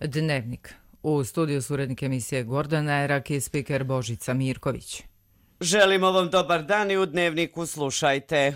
Dnevnik. U studiju su urednik emisije Gordana Erak i spiker Božica Mirković. Želimo vam dobar dan i u Dnevniku slušajte.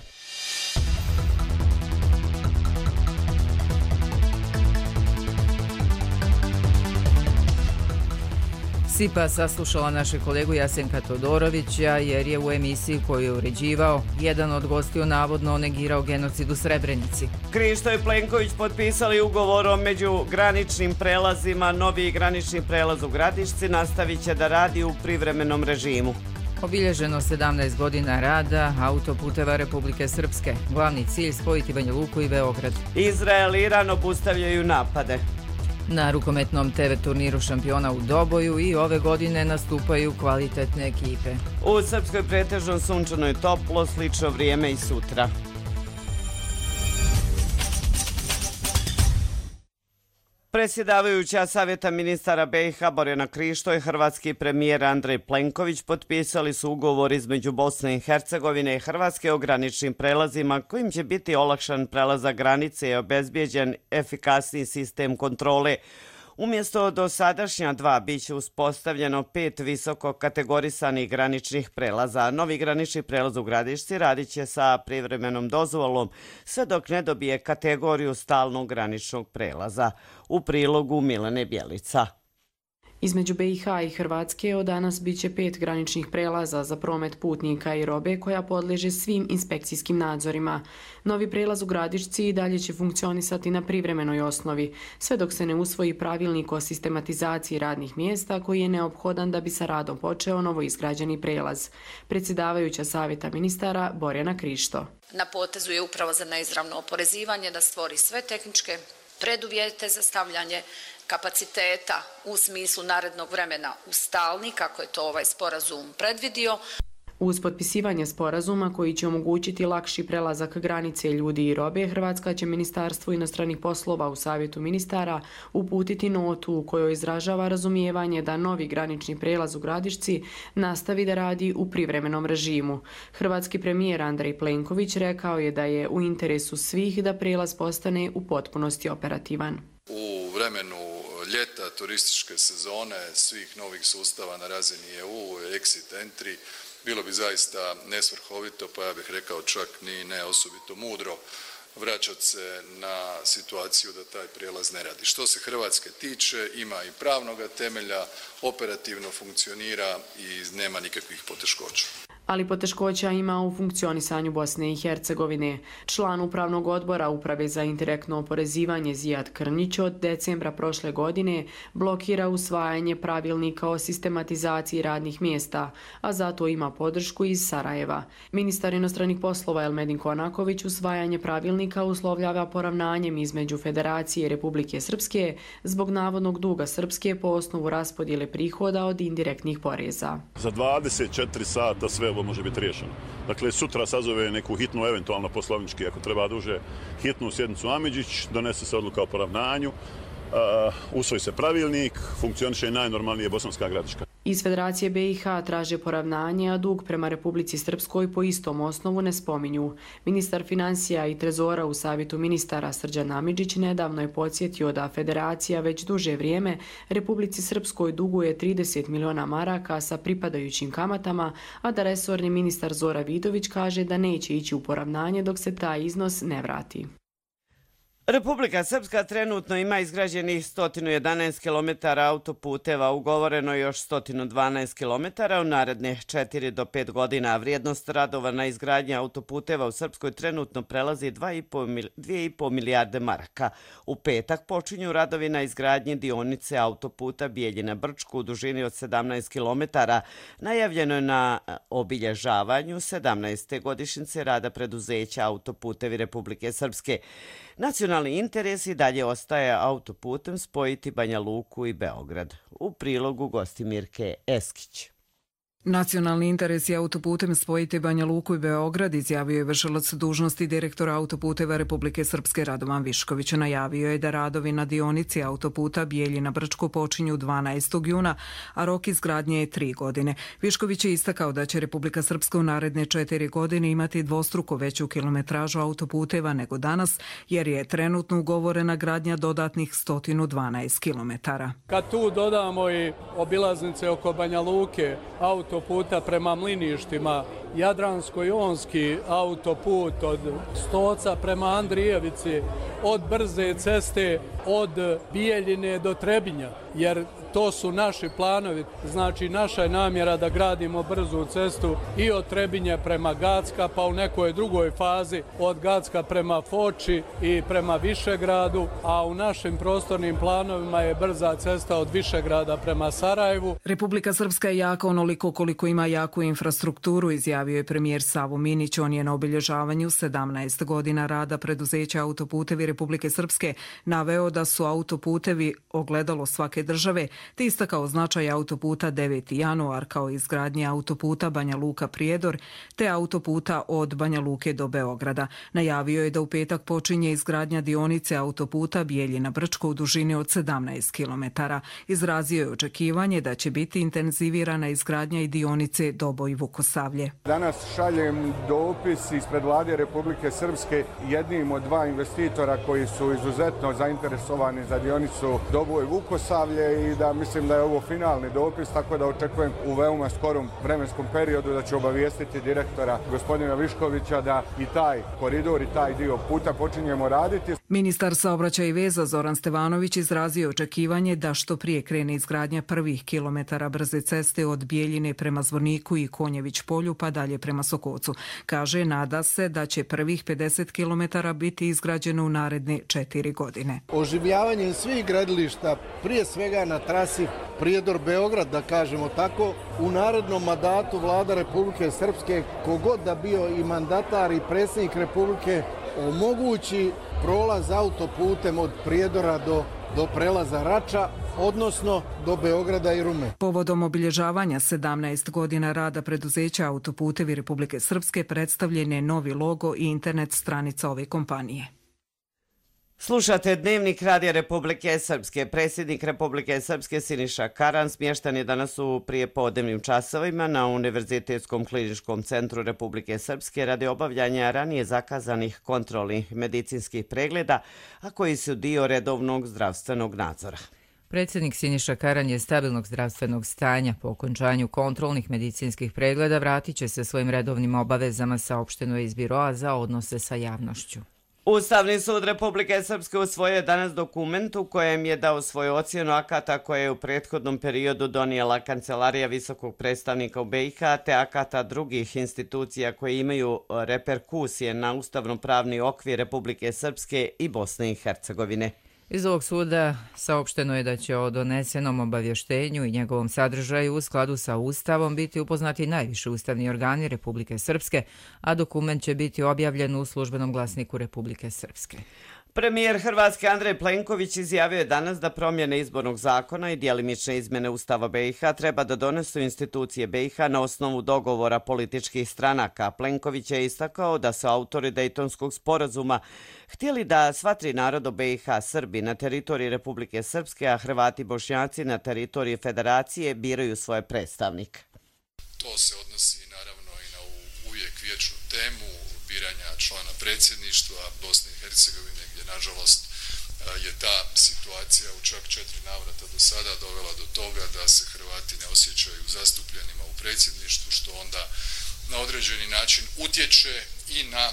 SIPA saslušala našeg kolegu Jasenka Todorovića jer je u emisiji koju je uređivao jedan od gostiju navodno negirao genocid u Srebrenici. Krišto i Plenković potpisali ugovor o međugraničnim prelazima. Novi granični prelaz u Gradišci nastavit će da radi u privremenom režimu. Obilježeno 17 godina rada autoputeva Republike Srpske. Glavni cilj spojiti Banja Luku i Beograd. Izrael i Iran obustavljaju napade. Na rukometnom TV turniru šampiona u Doboju i ove godine nastupaju kvalitetne ekipe. U Srpskoj pretežno sunčano i toplo, slično vrijeme i sutra. Predsjedavajuća Savjeta ministara BiH Borjana Krišto i hrvatski premijer Andrej Plenković potpisali su ugovor između Bosne i Hercegovine i Hrvatske o graničnim prelazima kojim će biti olakšan prelazak granice i obezbijeđen efikasniji sistem kontrole. Umjesto dosadašnja dva bit će uspostavljeno 5 visoko kategorisanih graničnih prelaza. Novi granični prelaz u Gradišci radit će sa privremenom dozvolom sve dok ne dobije kategoriju stalnog graničnog prelaza. U prilogu Milene Bjelica. Između BiH i Hrvatske od danas bit će 5 graničnih prelaza za promet putnika i robe koja podliježe svim inspekcijskim nadzorima. Novi prelaz u Gradišci i dalje će funkcionisati na privremenoj osnovi, sve dok se ne usvoji pravilnik o sistematizaciji radnih mjesta koji je neophodan da bi sa radom počeo novoizgrađeni prelaz. Predsjedavajuća Savjeta ministara Borjana Krišto. Na potezu je upravo za neizravno oporezivanje da stvori sve tehničke preduvjete za stavljanje kapaciteta u smislu narednog vremena u stalni, kako je to ovaj sporazum predvidio. Uz potpisivanje sporazuma koji će omogućiti lakši prelazak granice ljudi i robe, Hrvatska će Ministarstvo inostranih poslova u Savjetu ministara uputiti notu u kojoj izražava razumijevanje da novi granični prelaz u Gradišci nastavi da radi u privremenom režimu. Hrvatski premijer Andrej Plenković rekao je da je u interesu svih da prelaz postane u potpunosti operativan. U vremenu ljeta, turističke sezone, svih novih sustava na razini EU, exit, entry, bilo bi zaista nesvrhovito, pa ja bih rekao čak ni ne osobito mudro vraćati se na situaciju da taj prijelaz ne radi. Što se Hrvatske tiče, ima i pravnoga temelja, operativno funkcionira i nema nikakvih poteškoća. Ali poteškoća ima u funkcionisanju Bosne i Hercegovine. Član upravnog odbora Uprave za indirektno oporezivanje Zijad Krnjić od decembra prošle godine blokira usvajanje pravilnika o sistematizaciji radnih mjesta, a zato ima podršku iz Sarajeva. Ministar inostranih poslova Elmedin Konaković usvajanje pravilnika uslovljava poravnanjem između Federacije i Republike Srpske zbog navodnog duga Srpske po osnovu raspodjele prihoda od indirektnih poreza. Za 24 sata sve ovo može biti riješeno. Dakle, sutra sazove neku hitnu, eventualno poslovnički, ako treba duže, hitnu sjednicu Amidžić, donese se odluka o poravnanju, usvoji se pravilnik, funkcioniše i najnormalnije Bosanska Gradiška. Iz Federacije BiH traže poravnanje, a dug prema Republici Srpskoj po istom osnovu ne spominju. Ministar financija i trezora u Savjetu ministara Srđan Amidžić nedavno je podsjetio da Federacija već duže vrijeme Republici Srpskoj duguje 30 miliona maraka sa pripadajućim kamatama, a da resorni ministar Zora Vidović kaže da neće ići u poravnanje dok se taj iznos ne vrati. Republika Srpska trenutno ima izgrađenih 111 km autoputeva, ugovoreno još 112 km u naredne 4 do 5 godina. Vrijednost radova na izgradnji autoputeva u Srpskoj trenutno prelazi 2,5 milijarde maraka. U petak počinju radovi na izgradnji dionice autoputa Bijeljina-Brčko u dužini od 17 km. Najavljeno je na obilježavanju 17. godišnjice rada preduzeća Autoputevi Republike Srpske. Nacionalni interes i dalje ostaje autoputem spojiti Banja Luku i Beograd. U prilogu Gostimirke Eskić. Nacionalni interes je autoputem spojiti Banja Luku i Beograd, izjavio je vršilac dužnosti direktora autoputeva Republike Srpske Radovan Višković. Najavio je da radovi na dionici autoputa Bijeljina-Brčko počinju 12. juna, a rok izgradnje je 3 godine. Višković je istakao da će Republika Srpska u naredne 4 godine imati dvostruko veću kilometražu autoputeva nego danas, jer je trenutno ugovorena gradnja dodatnih 112 kilometara. Kad tu dodamo i obilaznice oko Banja Luke, autoputa prema Mliništima, Jadransko-jonski autoput od Stoca prema Andrijevici, od brze ceste od Bijeljine do Trebinja, jer to su naši planovi. Znači, naša je namjera da gradimo brzu cestu i od Trebinja prema Gacka, pa u nekoj drugoj fazi od Gacka prema Foči i prema Višegradu, a u našim prostornim planovima je brza cesta od Višegrada prema Sarajevu. Republika Srpska je jaka onoliko koliko ima jaku infrastrukturu, izjavio je premijer Savo Minić. On je na obilježavanju 17 godina rada preduzeća Autoputevi Republike Srpske naveo da su autoputevi ogledalo svake države, te istakao značaj autoputa 9. januar kao izgradnje autoputa Banja Luka-Prijedor te autoputa od Banja Luke do Beograda. Najavio je da u petak počinje izgradnja dionice autoputa Bijeljina-Brčko u dužini od 17 km. Izrazio je očekivanje da će biti intenzivirana izgradnja i dionice Doboj-Vukosavlje. Danas šaljem dopis ispred Vlade Republike Srpske jednim od 2 investitora koji su izuzetno zainteresovani za dionicu Doboj-Vukosavlje i da mislim da je ovo finalni dopis, tako da očekujem u veoma skorom vremenskom periodu da će obavijestiti direktora gospodina Viškovića da i taj koridor i taj dio puta počinjemo raditi. Ministar saobraćaja i veza Zoran Stevanović izrazio očekivanje da što prije krene izgradnja prvih kilometara brze ceste od Bijeljine prema Zvorniku i Konjević polju pa dalje prema Sokocu. Kaže, nada se da će prvih 50 kilometara biti izgrađeno u naredne 4 godine. Oživljavanjem svih gradilišta, prije svega na trasi Prijedor-Beograd, da kažemo tako, u narednom mandatu Vlada Republike Srpske, kogod da bio i mandatar i predsjednik Republike, omogući prolaz autoputem od Prijedora do prelaza Rača, odnosno do Beograda i Rume. Povodom obilježavanja 17 godina rada preduzeća Autoputevi Republike Srpske predstavljen je novi logo i internet stranica ove kompanije. Slušate Dnevnik Radija Republike Srpske. Predsjednik Republike Srpske Siniša Karan smješten je danas u prijepodnevnim časovima na Univerzitetskom kliničkom centru Republike Srpske radi obavljanja ranije zakazanih kontrolnih medicinskih pregleda, a koji su dio redovnog zdravstvenog nadzora. Predsjednik Siniša Karan je stabilnog zdravstvenog stanja. Po okončanju kontrolnih medicinskih pregleda vratit će se svojim redovnim obavezama, saopšteno je iz Biroa za odnose sa javnošću. Ustavni sud Republike Srpske usvojio je danas dokument u kojem je dao svoju ocjenu akata koje je u prethodnom periodu donijela Kancelarija visokog predstavnika u BiH te akata drugih institucija koje imaju reperkusije na ustavno-pravni okvir Republike Srpske i Bosne i Hercegovine. Iz ovog suda saopšteno je da će o donesenom obavještenju i njegovom sadržaju u skladu sa Ustavom biti upoznati najviši ustavni organi Republike Srpske, a dokument će biti objavljen u službenom glasniku Republike Srpske. Premijer Hrvatske Andrej Plenković izjavio je danas da promjene izbornog zakona i djelimične izmjene Ustava BiH treba da donesu institucije BiH na osnovu dogovora političkih stranaka. Plenković je istakao da su autori Dejtonskog sporazuma htjeli da sva 3 naroda BiH, Srbi na teritoriji Republike Srpske, a Hrvati i Bošnjaci na teritoriji Federacije biraju svoje predstavnike. To se odnosi naravno i na uvijek vječnu temu biranja člana predsjedništva Bosne i Hercegovine, gdje nažalost je ta situacija u čak 4 navrata do sada dovela do toga da se Hrvati ne osjećaju zastupljenima u predsjedništvu, što onda na određeni način utječe i na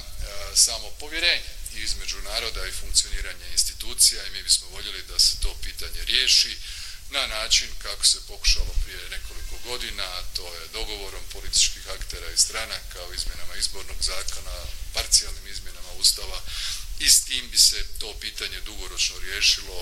samo povjerenje između naroda i funkcioniranje institucija, i mi bismo voljeli da se to pitanje riješi na način kako se pokušalo prije nekoliko godina, to je dogovorom političkih aktera i stranaka o izmjenama izbornog zakona, parcijalnim izmjenama Ustava, i s tim bi se to pitanje dugoročno riješilo.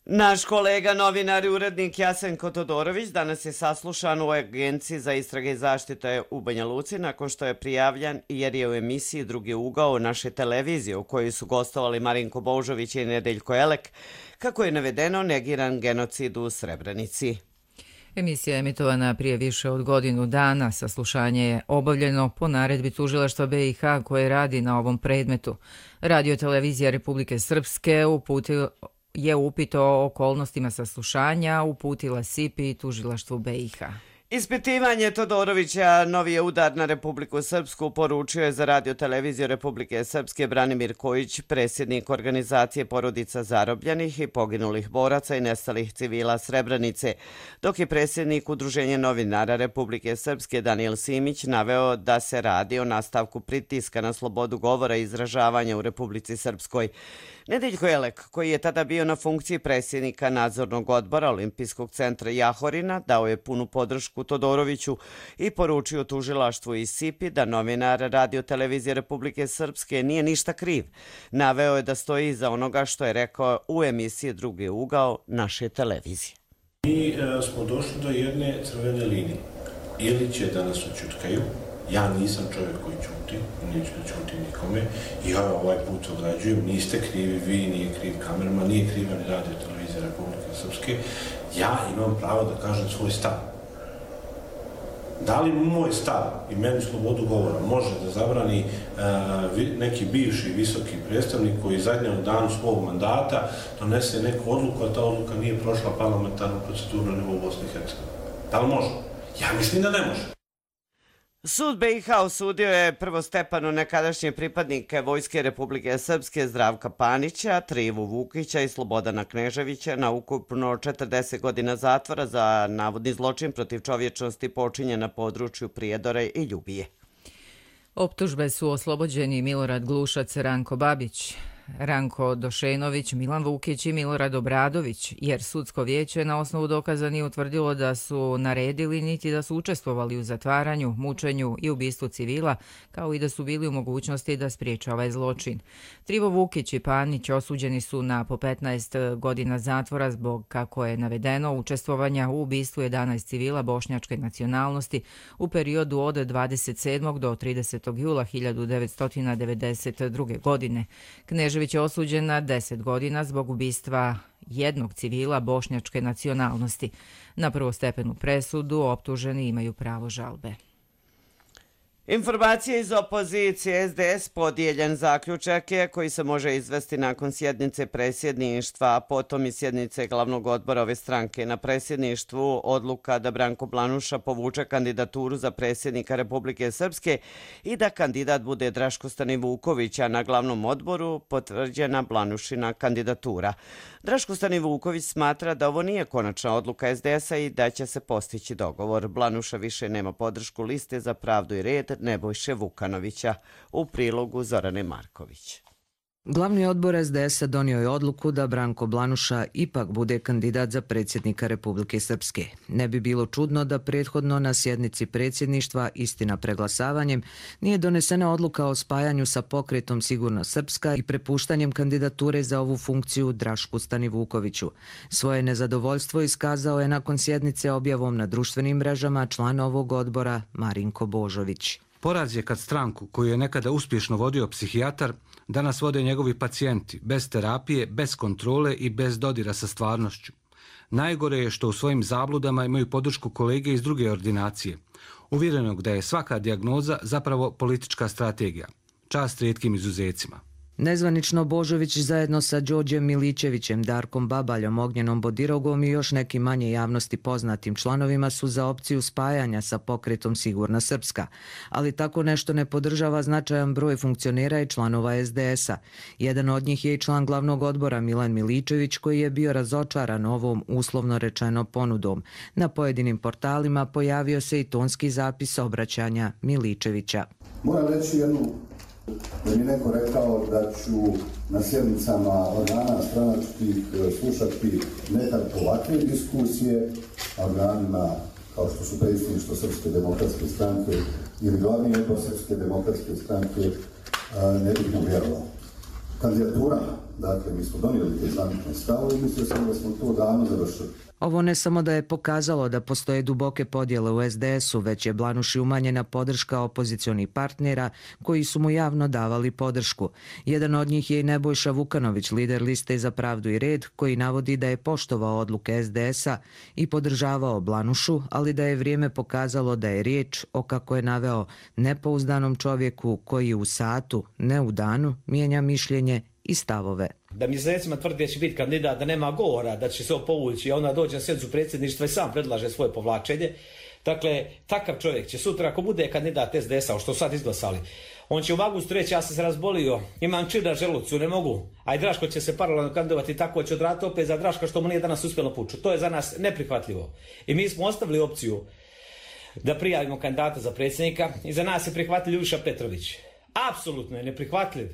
Naš kolega, novinar i urednik Jasenko Todorović danas je saslušan u Agenciji za istrage i zaštite u Banja Luci nakon što je prijavljan jer je u emisiji Drugi ugao naše televizije u kojoj su gostovali Marinko Božović i Nedeljko Elek, kako je navedeno, negiran genocid u Srebrenici. Emisija je emitovana prije više od godinu dana. Saslušanje je obavljeno po naredbi Tužilaštva BiH koje radi na ovom predmetu. Radio-televizija Republike Srpske je upit o okolnostima saslušanja uputila SIP-i i Tužilaštvu BiH. Ispitivanje Todorovića novi je udar na Republiku Srpsku, poručio je za Radio-televiziju Republike Srpske Branimir Kojić, predsjednik organizacije porodica zarobljenih i poginulih boraca i nestalih civila Srebrenice, dok je predsjednik Udruženja novinara Republike Srpske Danijel Simić naveo da se radi o nastavku pritiska na slobodu govora i izražavanja u Republici Srpskoj. Nedeljko Elek, koji je tada bio na funkciji predsjednika nadzornog odbora Olimpijskog centra Jahorina, dao je punu podršku Todoroviću i poručio tužilaštvu i SIP-i da novinar Radio-televizije Republike Srpske nije ništa kriv. Naveo je da stoji iza onoga što je rekao u emisiji Drugi ugao naše televizije. Mi smo došli do jedne crvene linije. Ili će da nas oćutkaju. Ja nisam čovjek koji čuti, neću da čuti nikome. Ja ovaj put ograđujem, niste krivi vi, nije kriv kamerman, nije kriva ni Radio-televizija Republike Srpske. Ja imam pravo da kažem svoj stav. Da li moj stav i meni slobodu govora može da zabrani neki bivši visoki predstavnik koji zadnjem danu svog mandata donese neku odluku, a ta odluka nije prošla parlamentarnu proceduru na nivou Bosne i Hercegovine? Da li može? Ja mislim da ne može. Sud BiH osudio je prvostepeno nekadašnje pripadnike Vojske Republike Srpske Zdravka Panića, Trivu Vukića i Slobodana Kneževića na ukupno 40 godina zatvora za navodni zločin protiv čovječnosti počinjen na području Prijedora i Ljubije. Optužbe su oslobođeni Milorad Glušac, Ranko Babić, Ranko Došenović, Milan Vukić i Milorad Obradović, jer sudsko vijeće na osnovu dokaza nije utvrdilo da su naredili niti da su učestvovali u zatvaranju, mučenju i ubistvu civila, kao i da su bili u mogućnosti da spriječe ovaj zločin. Trivo Vukić i Panić osuđeni su na po 15 godina zatvora zbog, kako je navedeno, učestvovanja u ubistvu 11 civila bošnjačke nacionalnosti u periodu od 27. do 30. jula 1992. godine. Knežević je osuđen na 10 godina zbog ubistva jednog civila bošnjačke nacionalnosti. Na prvostepenu presudu optuženi imaju pravo žalbe. Informacije iz opozicije. SDS podijeljen zaključak je koji se može izvesti nakon sjednice predsjedništva, a potom i sjednice glavnog odbora ove stranke. Na predsjedništvu odluka da Branko Blanuša povuče kandidaturu za predsjednika Republike Srpske i da kandidat bude Draško Stanivuković, a na glavnom odboru potvrđena Blanušina kandidatura. Draško Stanivuković smatra da ovo nije konačna odluka SDS-a i da će se postići dogovor. Blanuša više nema podršku liste za pravdu i red Nebojše Vukanovića, u prilogu Zorane Marković. Glavni odbor SDS-a donio je odluku da Branko Blanuša ipak bude kandidat za predsjednika Republike Srpske. Ne bi bilo čudno da prethodno na sjednici predsjedništva, istina preglasavanjem, nije donesena odluka o spajanju sa pokretom Sigurna Srpska i prepuštanjem kandidature za ovu funkciju Drašku Stanivukoviću. Svoje nezadovoljstvo iskazao je nakon sjednice objavom na društvenim mrežama član ovog odbora Marinko Božović. Poraz je kad stranku koju je nekada uspješno vodio psihijatar danas vode njegovi pacijenti, bez terapije, bez kontrole i bez dodira sa stvarnošću. Najgore je što u svojim zabludama imaju podršku kolege iz druge ordinacije, uvjerenog da je svaka dijagnoza zapravo politička strategija. Čast rijetkim izuzecima. Nezvanično Božović zajedno sa Đorđem Milićevićem, Darkom Babaljom, Ognjenom Bodirogom i još nekim manje javnosti poznatim članovima su za opciju spajanja sa pokretom Sigurna Srpska, ali tako nešto ne podržava značajan broj funkcionera i članova SDS-a. Jedan od njih je i član glavnog odbora Milan Miličević, koji je bio razočaran ovom uslovno rečeno ponudom. Na pojedinim portalima pojavio se i tonski zapis obraćanja Miličevića. Moram reći jednu da mi neko rekao da ću na sjednicama organa stranačkih slušati ne tako ovakve diskusije, organima kao što su predsjedništvo Srpske demokratske stranke ili glavni odbor Srpske demokratske stranke, ne bih mu vjerovao. Kandidatura, dakle, mi smo donijeli te zvanične stavove i mislio sam da smo to davno završili. Ovo ne samo da je pokazalo da postoje duboke podjele u SDS-u, već je Blanuši umanjena podrška opozicionih partnera koji su mu javno davali podršku. Jedan od njih je i Nebojša Vukanović, lider liste Za pravdu i red, koji navodi da je poštovao odluke SDS-a i podržavao Blanušu, ali da je vrijeme pokazalo da je riječ o, kako je naveo, nepouzdanom čovjeku koji u satu, ne u danu, mijenja mišljenje i stavove. Da mjesecima tvrdi da će biti kandidat, da nema govora, da će se povući, a onda dođe na sjednicu predsjedništva i sam predlaže svoje povlačenje. Dakle, takav čovjek će sutra, ako bude kandidat SDS-a, što sad izglasali, on će u avgustu reći, ja sam se razbolio, imam čir na želucu, ne mogu. A i Draško će se paralelno kandidovati, tako će odraditi opet za Draška što mu nije danas uspjelo puču. To je za nas neprihvatljivo. I mi smo ostavili opciju da prijavimo kandidata za predsjednika i za nas je prihvatljiv Ljubiša Petrović. Apsolutno je neprihvatljiv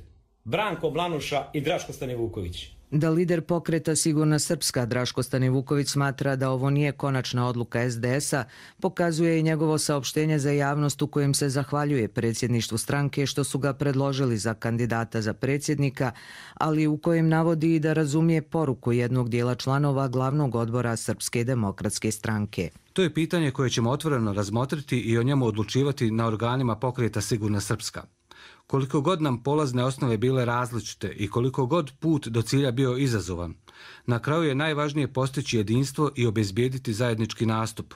Branko Blanuša i Draško Stanivuković. Da lider pokreta Sigurna Srpska Draško Stanivuković smatra da ovo nije konačna odluka SDS-a, pokazuje i njegovo saopštenje za javnost u kojem se zahvaljuje predsjedništvu stranke što su ga predložili za kandidata za predsjednika, ali u kojem navodi i da razumije poruku jednog dijela članova glavnog odbora Srpske demokratske stranke. To je pitanje koje ćemo otvoreno razmotriti i o njemu odlučivati na organima pokreta Sigurna Srpska. Koliko god nam polazne osnove bile različite i koliko god put do cilja bio izazovan, na kraju je najvažnije postići jedinstvo i obezbijediti zajednički nastup.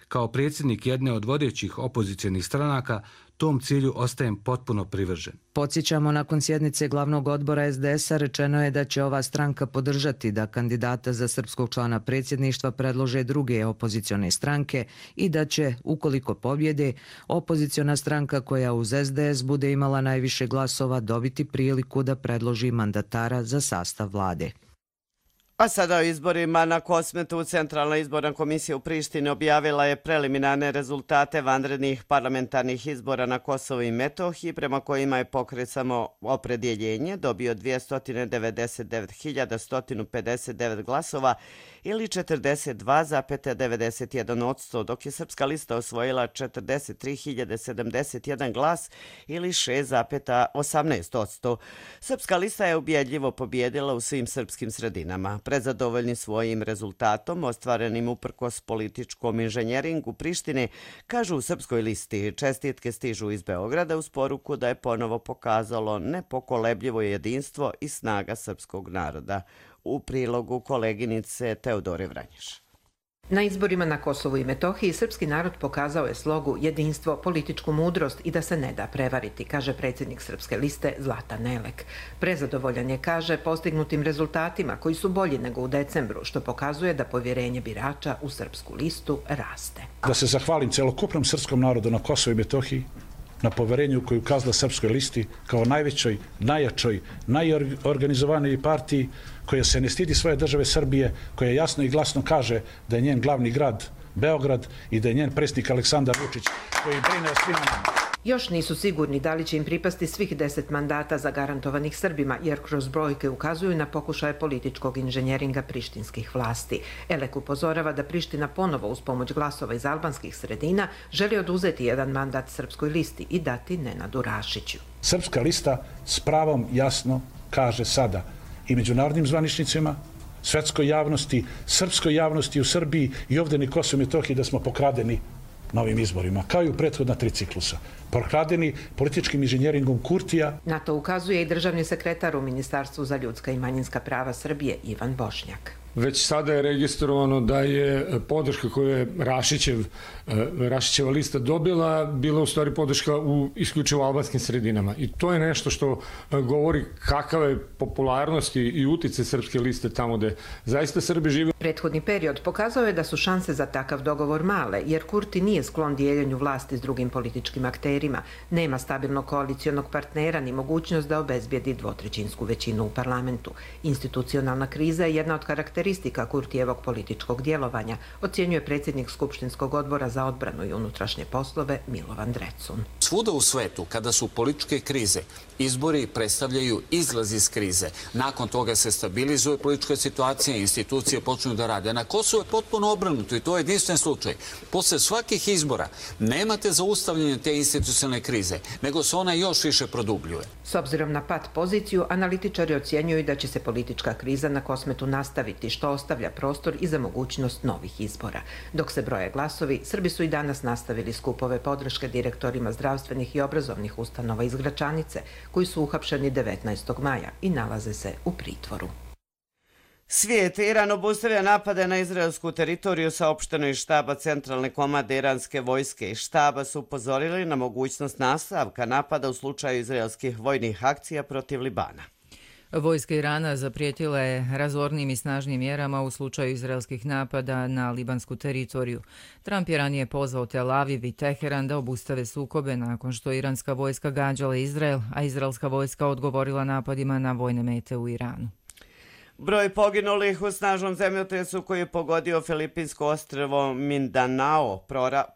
Kao predsjednik jedne od vodećih opozicionih stranaka, tom cilju ostajem potpuno privržen. Podsjećamo, nakon sjednice glavnog odbora SDS-a rečeno je da će ova stranka podržati da kandidata za srpskog člana predsjedništva predlože druge opozicione stranke i da će, ukoliko pobjede, opoziciona stranka koja uz SDS bude imala najviše glasova dobiti priliku da predloži mandatara za sastav vlade. A sada o izborima na Kosmetu. Centralna izborna komisija u Prištini objavila je preliminarne rezultate vanrednih parlamentarnih izbora na Kosovu i Metohiji, prema kojima je pokret Samoopredjeljenje dobio 299.159 glasova ili 42,91%, dok je Srpska lista osvojila 43.071 glas ili 6,18%. Srpska lista je ubjedljivo pobjedila u svim srpskim sredinama. Prezadovoljni svojim rezultatom, ostvarenim uprkos političkom inženjeringu Prištine, kažu u Srpskoj listi. Čestitke stižu iz Beograda uz poruku da je ponovo pokazalo nepokolebljivo jedinstvo i snaga srpskog naroda. U prilogu koleginice Teodore Vranješ. Na izborima na Kosovu i Metohiji srpski narod pokazao je slogu, jedinstvo, političku mudrost i da se ne da prevariti, kaže predsjednik Srpske liste Zlatan Elek. Prezadovoljan je, kaže, postignutim rezultatima koji su bolji nego u decembru, što pokazuje da povjerenje birača u Srpsku listu raste. Da se zahvalim celokupnom srpskom narodu na Kosovu i Metohiji, na poverenju koju ukazala Srpskoj listi kao najvećoj, najjačoj, najorganizovanijoj partiji koja se ne stidi svoje države Srbije, koja jasno i glasno kaže da je njen glavni grad Beograd i da je njen predsjednik Aleksandar Vučić koji brine o svima nama. Još nisu sigurni da li će im pripasti svih 10 mandata zagarantovanih Srbima, jer kroz brojke ukazuju na pokušaje političkog inženjeringa prištinskih vlasti. Elek upozorava da Priština ponovo uz pomoć glasova iz albanskih sredina želi oduzeti jedan mandat Srpskoj listi i dati Nenadu Rašiću. Srpska lista s pravom jasno kaže sada i međunarodnim zvaničnicima, svetskoj javnosti, srpskoj javnosti u Srbiji i ovdje na Kosovu i Metohiji da smo pokradeni novim izborima, kao i u prethodna 3 ciklusa. Pokradeni političkim inženjeringom Kurtija. Na to ukazuje i državni sekretar u Ministarstvu za ljudska i manjinska prava Srbije, Ivan Bošnjak. Već sada je registrovano da je podrška koju je Rašićeva lista dobila bila u stvari podrška u isključivo albanskim sredinama. I to je nešto što govori kakava je popularnost i utjecaj Srpske liste tamo gde zaista Srbi žive. Prethodni period pokazao je da su šanse za takav dogovor male, jer Kurti nije sklon dijeljenju vlasti s drugim političkim akterima, nema stabilnog koalicijonog partnera ni mogućnost da obezbijedi dvotrećinsku većinu u parlamentu. Institucionalna kriza je jedna od karakteristika Kurtijevog političkog djelovanja, ocjenjuje predsjednik Skupštinskog odbora za odbranu i unutrašnje poslove Milovan Drecun. Svuda u svetu, kada su političke krize, izbori predstavljaju izlaz iz krize. Nakon toga se stabilizuje politička situacija, institucije počnu da rade. Na Kosovu je potpuno obrnuto i to je jedinstven slučaj. Posle svakih izbora nemate zaustavljanje te institucionalne krize, nego se ona još više produbljuje. S obzirom na pad poziciju, analitičari ocjenjuju da će se politička kriza na Kosmetu nastaviti, postići, što ostavlja prostor i za mogućnost novih izbora. Dok se broje glasovi, Srbi su i danas nastavili skupove podrške direktorima zdravstvenih i obrazovnih ustanova iz Gračanice, koji su uhapšeni 19. maja i nalaze se u pritvoru. Svijet. Iran obustavlja napade na izraelsku teritoriju, saopšteno iz štaba centralne komande iranske vojske. Iz štaba su upozorili na mogućnost nastavka napada u slučaju izraelskih vojnih akcija protiv Libana. Vojska Irana zaprijetila je razornim i snažnim mjerama u slučaju izraelskih napada na libansku teritoriju. Trump je ranije pozvao Tel Aviv i Teheran da obustave sukobe nakon što iranska vojska gađala Izrael, a izraelska vojska odgovorila napadima na vojne mete u Iranu. Broj poginulih u snažnom zemljotresu koji je pogodio filipinsko ostrvo Mindanao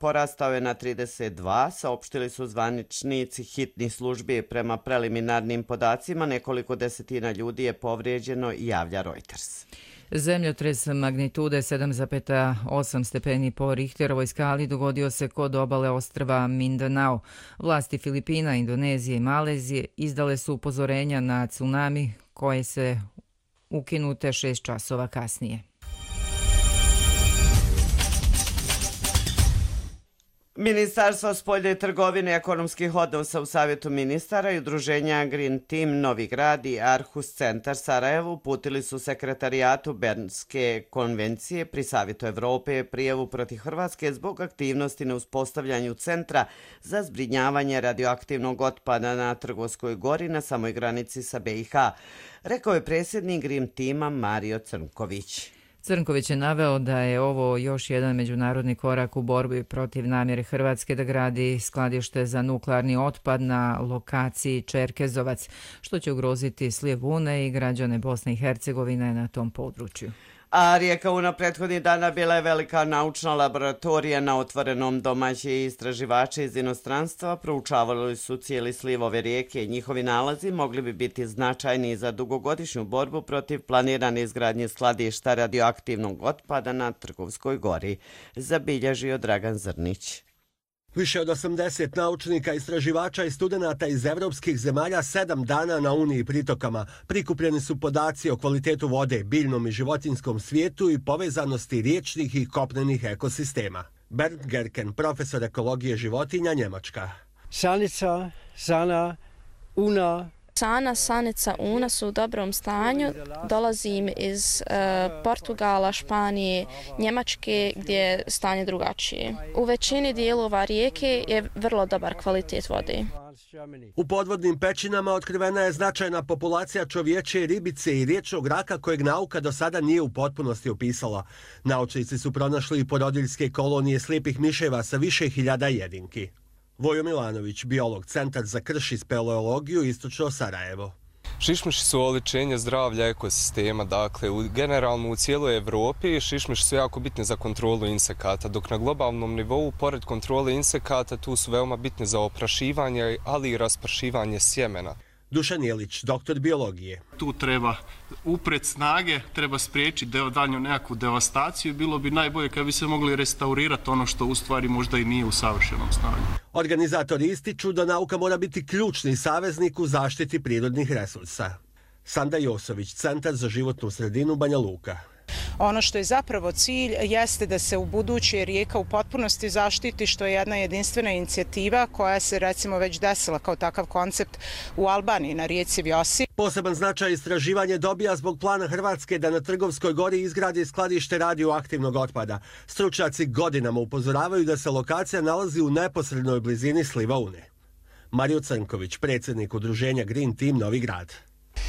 porastao je na 32, saopštili su zvaničnici hitnih službi. Prema preliminarnim podacima nekoliko desetina ljudi je povrijeđeno, javlja Reuters. Zemljotres magnitude 7,8 stepeni po Richterovoj skali dogodio se kod obale ostrva Mindanao. Vlasti Filipina, Indonezije i Malezije izdale su upozorenja na tsunami koje se ukinute 6 časova kasnije. Ministarstvo spoljne trgovine i ekonomskih odnosa u Savjetu ministara i udruženja Green Team Novi Grad i Arhus centar Sarajevo uputili su sekretarijatu Bernske konvencije pri Savjetu Evrope prijavu protiv Hrvatske zbog aktivnosti na uspostavljanju centra za zbrinjavanje radioaktivnog otpada na Trgovskoj gori na samoj granici sa BiH, rekao je predsjednik Green Teama Mario Crnković. Crnković je naveo da je ovo još jedan međunarodni korak u borbi protiv namjere Hrvatske da gradi skladište za nuklearni otpad na lokaciji Čerkezovac, što će ugroziti sliv Une i građane Bosne i Hercegovine na tom području. A rijeka Una prethodnih dana bila je velika naučna laboratorija na otvorenom. Domaći istraživači iz inostranstva proučavali su cijeli sliv ove rijeke i njihovi nalazi mogli bi biti značajni za dugogodišnju borbu protiv planirane izgradnje skladišta radioaktivnog otpada na Trgovskoj gori, zabilježio Dragan Zrnić. Više od 80 naučnika, istraživača i studenata iz evropskih zemalja 7 dana na Uni i pritokama. Prikupljeni su podaci o kvalitetu vode, biljnom i životinjskom svijetu i povezanosti riječnih i kopnenih ekosistema. Bernd Gerken, profesor ekologije životinja, Njemačka. Sanica, Sana, Una. Sana, Sanica, Una su u dobrom stanju. Dolazim iz Portugala, Španije, Njemačke gdje je stanje drugačije. U većini dijelova rijeke je vrlo dobar kvalitet vode. U podvodnim pećinama otkrivena je značajna populacija čovječje ribice i riječnog raka kojeg nauka do sada nije u potpunosti opisala. Naučnici su pronašli i porodiljske kolonije slijepih miševa sa više hiljada jedinki. Vojo Milanović, biolog, Centar za krš i speleologiju, Istočno Sarajevo. Šišmiši su oličenje zdravlja ekosistema, dakle generalno u cijeloj Evropi šišmiši su jako bitni za kontrolu insekata, dok na globalnom nivou, pored kontrole insekata, tu su veoma bitni za oprašivanje, ali i raspršivanje sjemena. Dušan Jelić, doktor biologije. Tu treba upret snage, treba spriječiti daljnju nekakvu devastaciju. Bilo bi najbolje kad bi se mogli restaurirati ono što u stvari možda i nije u savršenom stanju. Organizatori ističu da nauka mora biti ključni saveznik u zaštiti prirodnih resursa. Sanda Josović, Centar za životnu sredinu, Banja Luka. Ono što je zapravo cilj jeste da se u buduće rijeka u potpunosti zaštiti, što je jedna jedinstvena inicijativa koja se recimo već desila kao takav koncept u Albaniji na rijeci Vjosi. Poseban značaj istraživanje dobija zbog plana Hrvatske da na Trgovskoj gori izgradi skladište radioaktivnog otpada. Stručnjaci godinama upozoravaju da se lokacija nalazi u neposrednoj blizini sliva Une. Mario Crnković, predsjednik udruženja Green Team Novi Grad.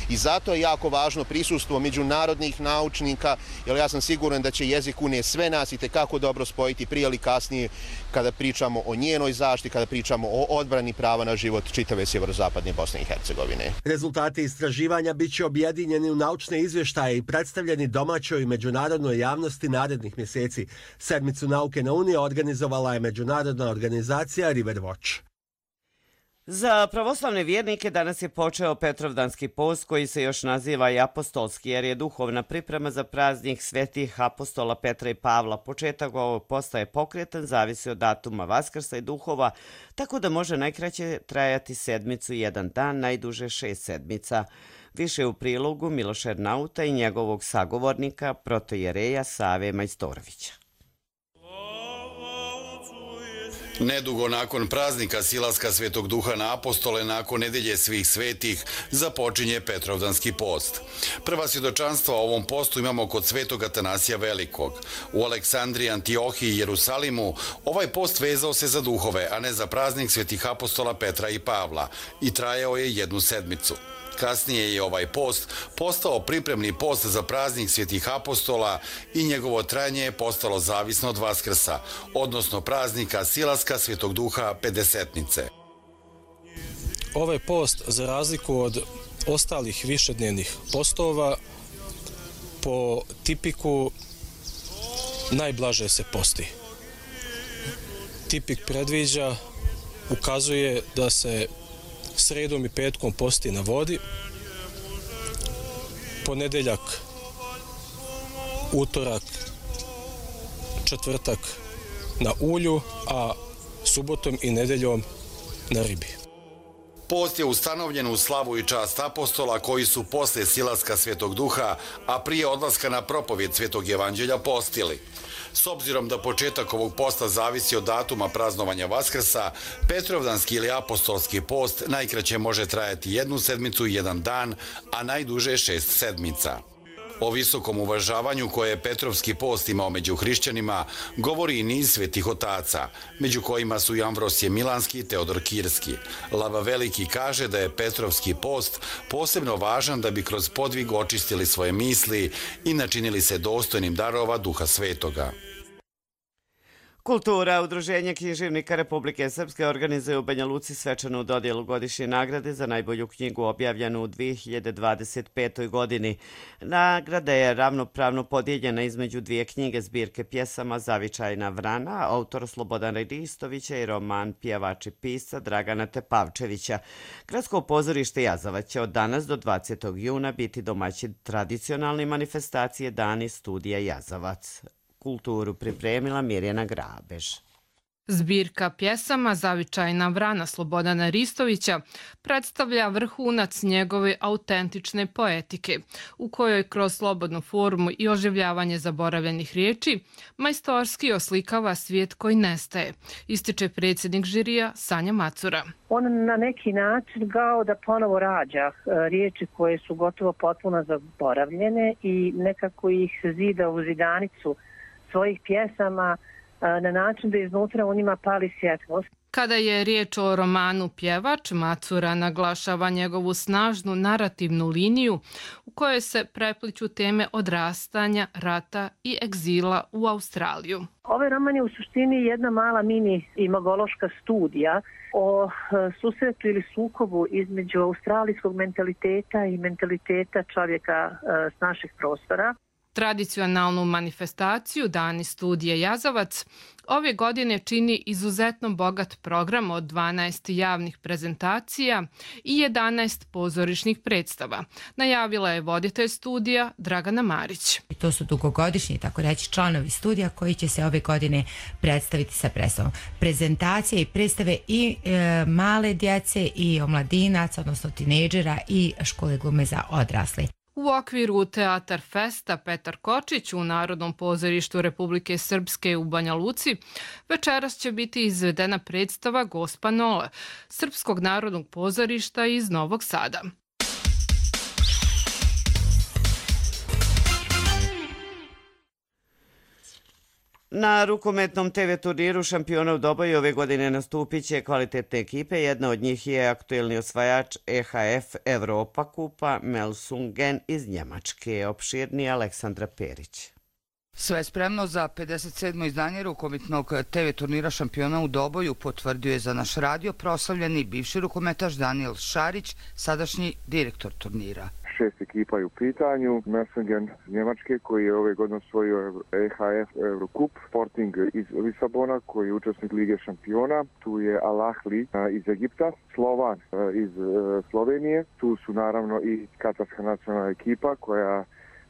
I zato je jako važno prisustvo međunarodnih naučnika, jer ja sam siguran da će jezik Une sve nas itekako dobro spojiti prije ili kasnije kada pričamo o njenoj zaštiti, kada pričamo o odbrani prava na život čitave sjeverozapadne Bosne i Hercegovine. Rezultati istraživanja bit će objedinjeni u naučne izvještaje i predstavljeni domaćoj i međunarodnoj javnosti narednih mjeseci. Sedmicu nauke na Uni organizovala je međunarodna organizacija River Watch. Za pravoslavne vjernike danas je počeo Petrovdanski post koji se još naziva i apostolski jer je duhovna priprema za praznik svetih apostola Petra i Pavla. Početak ovog posta je pokretan, zavisi od datuma Vaskrsa i duhova, tako da može najkraće trajati sedmicu i jedan dan, najduže 6 sedmica. Više u prilogu Miloša Ernauta i njegovog sagovornika protojereja Save Majstorovića. Nedugo nakon praznika silaska Svetog Duha na apostole, nakon nedelje svih svetih, započinje Petrovdanski post. Prva svjedočanstva o ovom postu imamo kod Svetog Atanasija Velikog. U Aleksandriji, Antiohiji i Jerusalimu ovaj post vezao se za duhove, a ne za praznik svetih apostola Petra i Pavla i trajao je 1 sedmicu. Kasnije je ovaj post postao pripremni post za praznik svetih apostola i njegovo trajanje je postalo zavisno od Vaskrsa, odnosno praznika silaska Svetog Duha Pedesetnice. Ovaj post, za razliku od ostalih višednevnih postova, po tipiku najblaže se posti. Tipik predviđa, ukazuje da se sredom i petkom posti na vodi, ponedeljak, utorak, četvrtak na ulju, a subotom i nedeljom na ribi. Post je ustanovljen u slavu i čast apostola koji su posle silaska Svetog Duha, a prije odlaska na propovjed Svetog Evanđelja postili. S obzirom da početak ovog posta zavisi od datuma praznovanja Vaskrsa, Petrovdanski ili apostolski post najkraće može trajati 1 sedmicu i 1 dan, a najduže 6 sedmica. O visokom uvažavanju koje je Petrovski post imao među hrišćanima govori i niz svetih otaca, među kojima su i Amvrosije Milanski i Teodor Kirski. Lava Veliki kaže da je Petrovski post posebno važan da bi kroz podvig očistili svoje misli i načinili se dostojnim darova Duha Svetoga. Kultura, Udruženje književnika Republike Srpske organizuje u Banja Luci svečanu dodjelu godišnje nagrade za najbolju knjigu objavljenu u 2025. godini. Nagrada je ravnopravno podijeljena između 2 knjige zbirke pjesama Zavičajna vrana, autora Slobodana Ristovića i roman Pjevač i pisca Dragana Tepavčevića. Gradsko pozorište Jazavac će od danas do 20. juna biti domaćin tradicionalne manifestacije Dani studija Jazavac. Kulturu pripremila Mirjana Grabež. Zbirka pjesama Zavičajna vrana Slobodana Ristovića predstavlja vrhunac njegove autentične poetike, u kojoj kroz slobodnu formu i oživljavanje zaboravljenih riječi majstorski oslikava svijet koji nestaje, ističe predsjednik žirija Sanja Macura. On na neki način kao da ponovo rađa riječi koje su gotovo potpuno zaboravljene i nekako ih zida u zidanicu svojih pjesama na način da iznutra u njima pali svjetlost. Kada je riječ o romanu Pjevač, Macura naglašava njegovu snažnu narativnu liniju u kojoj se prepliću teme odrastanja, rata i egzila u Australiju. Ovaj roman je u suštini jedna mala mini imagološka studija o susretu ili sukobu između australijskog mentaliteta i mentaliteta čovjeka s naših prostora. Tradicionalnu manifestaciju Dani studije Jazavac ove godine čini izuzetno bogat program od 12 javnih prezentacija i 11 pozorišnih predstava. Najavila je voditelj studija Dragana Marić. To su dugogodišnji, tako reći, članovi studija koji će se ove godine predstaviti sa predstavom. Prezentacije i predstave i male djece i omladinaca, odnosno tinejdžera i škole glume za odrasle. U okviru Teatar Festa Petar Kočić u Narodnom pozorištu Republike Srpske u Banja Luci večeras će biti izvedena predstava Gospa Nola, Srpskog narodnog pozorišta iz Novog Sada. Na rukometnom TV turniru šampiona u Doboju ove godine nastupit će kvalitetne ekipe. Jedna od njih je aktuelni osvajač EHF Evropa kupa Melsungen iz Njemačke. Opširnije Aleksandra Perić. Sve spremno za 57. izdanje rukometnog TV turnira šampiona u Doboju, potvrdio je za naš radio proslavljeni bivši rukometaš Daniel Šarić, sadašnji direktor turnira. 6 ekipa je u pitanju. Melsungen iz Njemačke koji je ove godine osvojio EHF Eurocup, Sporting iz Lisabona koji je učesnik Lige šampiona, tu je Al Ahly iz Egipta, Slovan iz Slovenije, tu su naravno i katarska nacionalna ekipa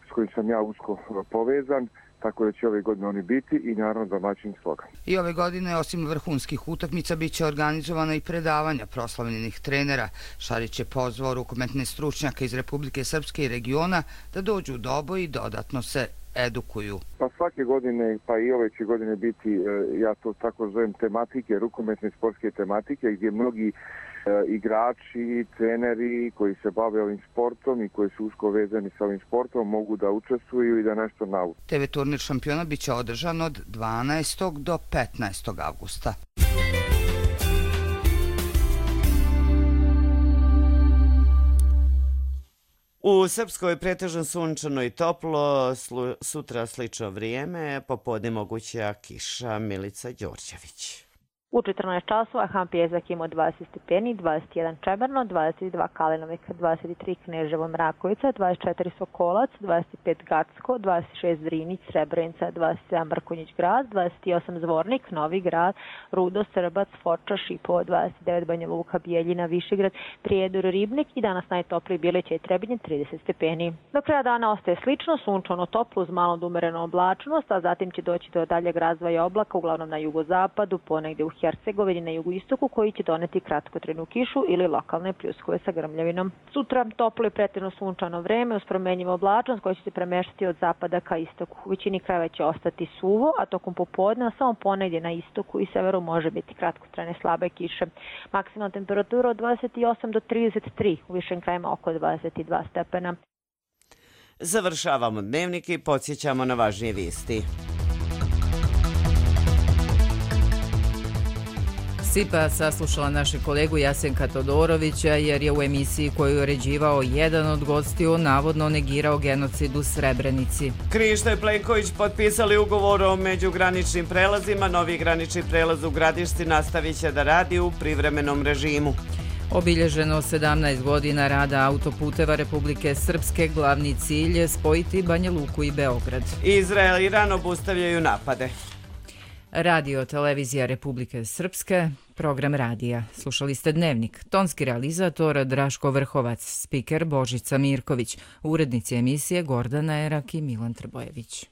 s kojim sam ja usko povezan, tako da će ove godine oni biti i naravno domaćin slogan. I ove godine, osim vrhunskih utakmica, bit će organizovana i predavanja proslavljenih trenera. Šarić je pozvao rukometne stručnjaka iz Republike Srpske i regiona da dođu u Doboj i dodatno se edukuju. Pa svake godine, pa i ove će godine biti, ja to tako zovem, tematike, rukometne sportske tematike, gdje mnogi igrači, treneri koji se bave ovim sportom i koji su usko vezani sa ovim sportom mogu da učestvuju i da nešto nauče. TV turnir šampiona biće održan od 12. do 15. avgusta. U Srpskoj pretežno sunčano i toplo, sutra slično vrijeme, popodne moguća kiša. Milica Đorđević. U 14 časova Hampijezak ima 20 stepeni, 21 Čemerno, 22 Kalinovik, 23 Kneževo Mrakovica, 24 Sokolac, 25 Gacko, 26 Drinić, Srebrenica, 27 Mrkonjić grad, 28 Zvornik, Novi grad, Rudo, Srbac, Foča, Šipovo, 29 Banja Luka, Bijeljina, Višegrad, Prijedor, Ribnik i danas najtopliji Bileća i Trebinje 30 stepeni. Do kraja dana ostaje slično, sunčano toplo uz malo umerenu oblačnost, a zatim će doći do daljeg razvoja oblaka, uglavnom na jugozapadu, ponegdje u Hercegovini na jugoistoku, koji će doneti kratkotrajnu kišu ili lokalne pljuskove sa grmljavinom. Sutra toplo i pretežno sunčano vreme uz promenjivu oblačnost koja će se premeštati od zapada ka istoku. U većini krajeva će ostati suvo, a tokom popodne samo ponegdje na istoku i severu može biti kratkotrajne slabe kiše. Maksimalna temperatura od 28 do 33, u višim krajevima oko 22 stepena. Završavamo dnevnik i podsjećamo na važnije vijesti. SIPA saslušala našeg kolegu Jasenka Todorovića jer je u emisiji koju je uređivao jedan od gostiju navodno negirao genocid u Srebrenici. Krišto i Plenković potpisali ugovor o međugraničnim prelazima. Novi granični prelaz u Gradišci nastavit će da radi u privremenom režimu. Obilježeno 17 godina rada autoputeva Republike Srpske, glavni cilj je spojiti Banja Luku i Beograd. Izrael i Iran obustavljaju napade. Radio Televizija Republike Srpske, program radija. Slušali ste Dnevnik. Tonski realizator Draško Vrhovac, spiker Božica Mirković, urednici emisije Gordana Erak i Milan Trbojević.